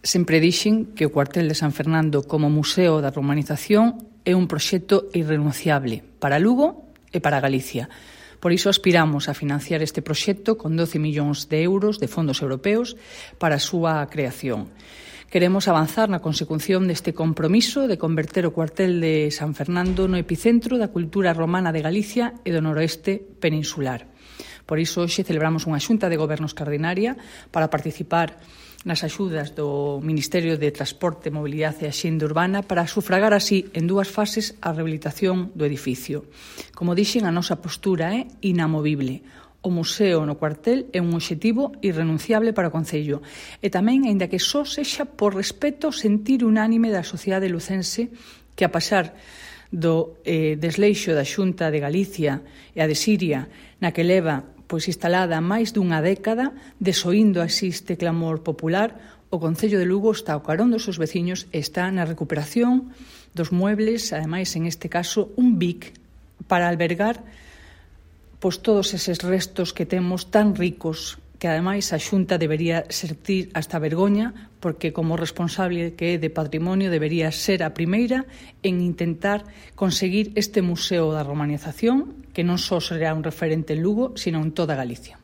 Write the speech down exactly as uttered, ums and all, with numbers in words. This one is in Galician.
Sempre dixen que o cuartel de San Fernando como Museo da Romanización é un proxecto irrenunciable para Lugo e para Galicia. Por iso aspiramos a financiar este proxecto con doce millóns de euros de fondos europeos para a súa creación. Queremos avanzar na consecución deste compromiso de converter o cuartel de San Fernando no epicentro da cultura romana de Galicia e do noroeste peninsular. Por iso, hoxe celebramos unha xunta de goberno extraordinaria para participar nas axudas do Ministerio de Transporte, Mobilidade e Axenda Urbana para sufragar así en dúas fases a rehabilitación do edificio. Como dixen, a nosa postura é inamovible. O museo no cuartel é un obxectivo irrenunciable para o Concello e tamén, aínda que só sexa por respeto sentir unánime da sociedade lucense que, a pasar do eh, desleixo da Xunta de Galicia e a de Siria, na que leva pois instalada máis dunha década, desoíndo así este clamor popular, o Concello de Lugo está ao carón dos seus veciños e está na recuperación dos muebles, ademais, en este caso, un B I C para albergar pois todos eses restos que temos tan ricos, que ademais a Xunta debería sentir hasta vergoña, porque como responsable que é de patrimonio debería ser a primeira en intentar conseguir este museo da romanización, que non só será un referente en Lugo, sino en toda Galicia.